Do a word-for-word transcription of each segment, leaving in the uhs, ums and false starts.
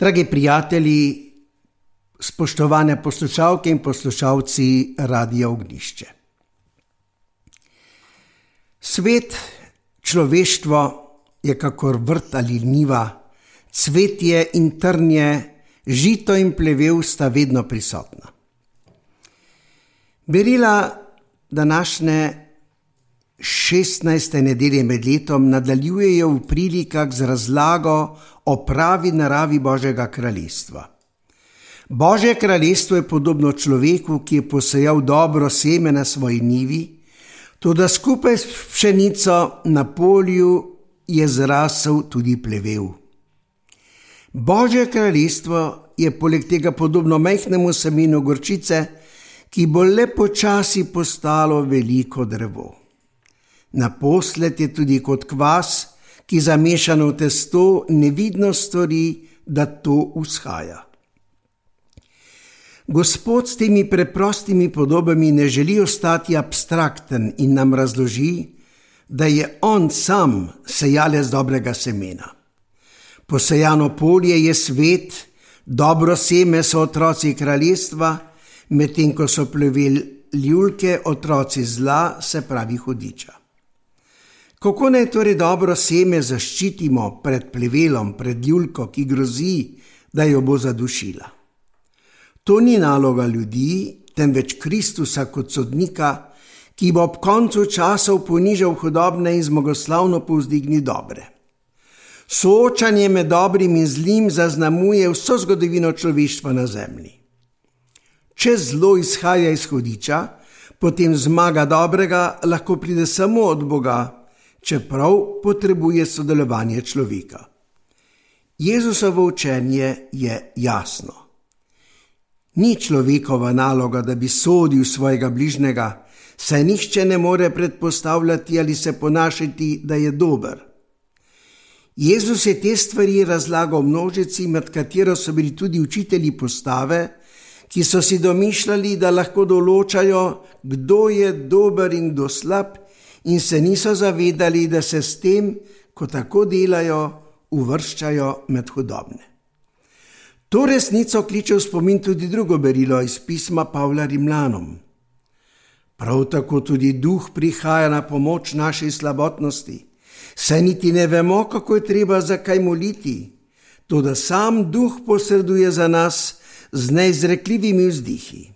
Dragi prijatelji, spoštovane poslušalke in poslušalci Radia Ognjišče. Svet, človeštvo je kakor vrt ali njiva, cvetje in trnje, žito in plevel sta vedno prisotna. Berila današnje šestnajste nedelje med letom nadaljujejo v prilikah z razlago o pravi naravi Božjega kraljestva. Božje kraljestvo je podobno človeku, ki je posejal dobro seme na svoji njivi, toda skupaj s pšenico na polju je zrasel tudi plevel. Božje kraljestvo je poleg tega podobno majhnemu semenu gorčice, ki bo le počasi postalo veliko drevo. Naposled je tudi kot kvas, ki zamešano v testo nevidno stori, da to vzhaja. Gospod s temi preprostimi podobami ne želi ostati abstrakten in nam razloži, da je on sam sejalec dobrega semena. Posejano polje je svet, dobro seme so otroci kraljestva, medtem ko so plevel ljulke otroci zla, se pravi hudiča. Kako naj torej dobro seme zaščitimo pred plevelom, pred ljulko, ki grozi, da jo bo zadušila? To ni naloga ljudi, temveč Kristusa kot sodnika, ki bo ob koncu časov ponižal hudobne in zmagoslavno povzdignil dobre. Soočanje med dobrim in zlim zaznamuje vso zgodovino človeštva na zemlji. Če zlo izhaja iz hudiča, potem zmaga dobrega lahko pride samo od Boga, čeprav potrebuje sodelovanje človeka. Jezusovo učenje je jasno. Ni človekova naloga, da bi sodil svojega bližnjega, saj nihče ne more predpostavljati ali se ponašati, da je dober. Jezus je te stvari razlagal množici, med katero so bili tudi učitelji postave, ki so si domišljali, da lahko določajo, kdo je dober in kdo slab, in se niso zavedali, da se s tem, ko tako delajo, uvrščajo med hudobne. To resnico kliče v spomin tudi drugo berilo iz pisma Pavla Rimljanom. Prav tako tudi Duh prihaja na pomoč naši slabotnosti, saj niti ne vemo, kako je treba za kaj moliti, toda sam Duh posreduje za nas z neizrekljivimi vzdihi.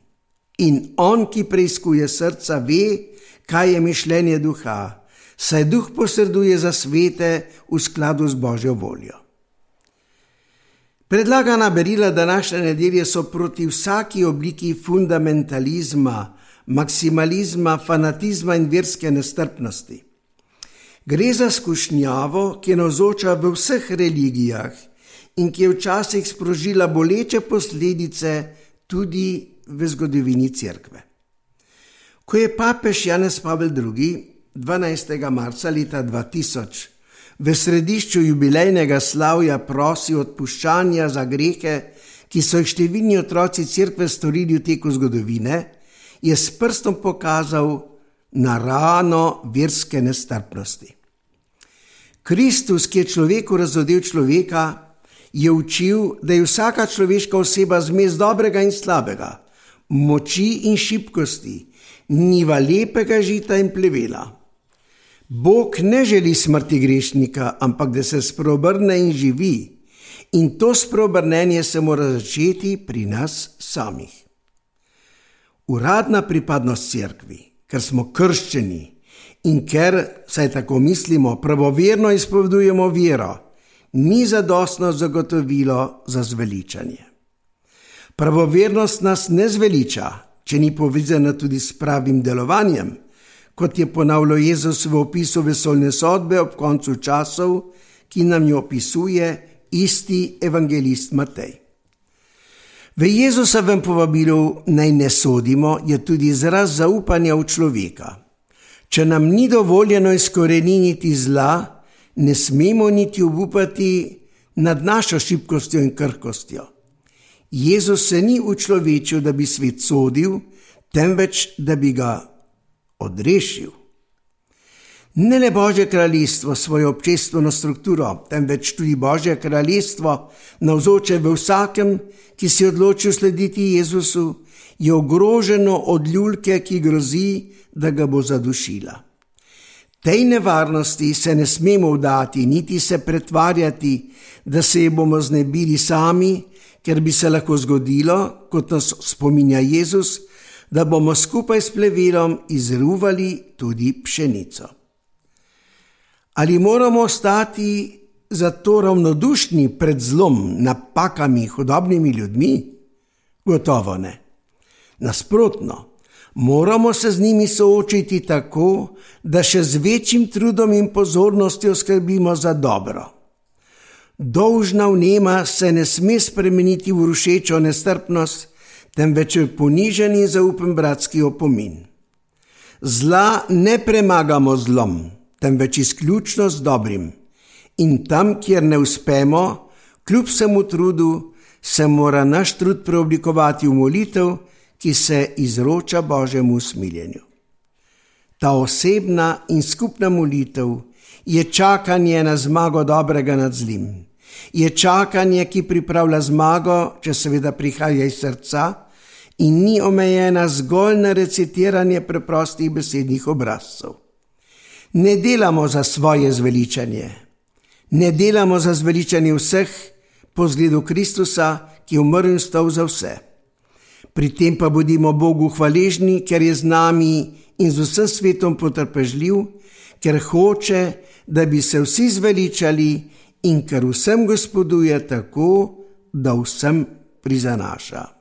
In on, ki preiskuje srca, ve, kaj je mišljenje duha, saj Duh posreduje za svete v skladu z Božjo voljo. Predlagana berila današnje nedelje so proti vsaki obliki fundamentalizma, maksimalizma, fanatizma in verske nestrpnosti. Gre za skušnjavo, ki je navzoča v vseh religijah in ki je včasih sprožila boleče posledice tudi v zgodovini cerkve. Ko je papež Janez Pavel drugi. dvanajstega marca leta dva tisoč v središču jubilejnega slavja prosil odpuščanja za grehe, ki so jih številni otroci cerkve storili v teku zgodovine, je s prstom pokazal na rano verske nestrpnosti. Kristus, ki je človeku razodel človeka, je učil, da je vsaka človeška oseba zmes dobrega in slabega, moči in šibkosti, njiva lepega žita in plevela. Bog ne želi smrti grešnika, ampak da se spreobrne in živi. In to spreobrnenje se mora začeti pri nas samih. Uradna pripadnost cerkvi, ker smo krščeni in ker, saj tako mislimo, pravoverno izpovedujemo vero, ni zadostno zagotovilo za zveličanje. Pravovernost nas ne zveliča, če ni povezana tudi s pravim delovanjem, kot je ponavljal Jezus v opisu vesoljne sodbe ob koncu časov, ki nam jo opisuje isti evangelist Matej. V Jezusovem povabilu naj ne sodimo je tudi izraz zaupanja v človeka. Če nam ni dovoljeno izkoreniniti zla, ne smemo niti obupati nad našo šibkostjo in krhkostjo. Jezus se ni učlovečil, da bi svet sodil, temveč da bi ga odrešil. Ne le Božje kraljestvo svojo občestveno strukturo, temveč tudi Božje kraljestvo, navzoče v vsakem, ki si odločil slediti Jezusu, je ogroženo od ljulke, ki grozi, da ga bo zadušila. Tej nevarnosti se ne smemo vdati, niti se pretvarjati, da se je bomo znebili sami, ker bi se lahko zgodilo, kot nas spominja Jezus, da bomo skupaj s plevelom izruvali tudi pšenico. Ali moramo ostati zato ravnodušni pred zlom, napakami, hudobnimi ljudmi? Gotovo ne. Nasprotno, moramo se z njimi soočiti tako, da še z večjim trudom in pozornostjo skrbimo za dobro. Dolžna vnema se ne sme spremeniti v rušečo nestrpnost, temveč v ponižen in zaupen bratski opomin. Zla ne premagamo zlom, temveč izključno z dobrim. In tam, kjer ne uspemo, kljub vsemu trudu, se mora naš trud preoblikovati v molitev, ki se izroča Božjemu usmiljenju. Ta osebna in skupna molitev je čakanje na zmago dobrega nad zlim. Je čakanje, ki pripravlja zmago, če seveda prihaja iz srca in ni omejena zgolj na recitiranje preprostih besednih obrazcev. Ne delamo za svoje zveličanje. Ne delamo za zveličanje vseh po zgledu Kristusa, ki je umrl in vstal za vse. Pri tem pa bodimo Bogu hvaležni, ker je z nami in z vsem svetom potrpežljiv, ker hoče, da bi se vsi zveličali in ker vsem gospoduje tako, da vsem prizanaša.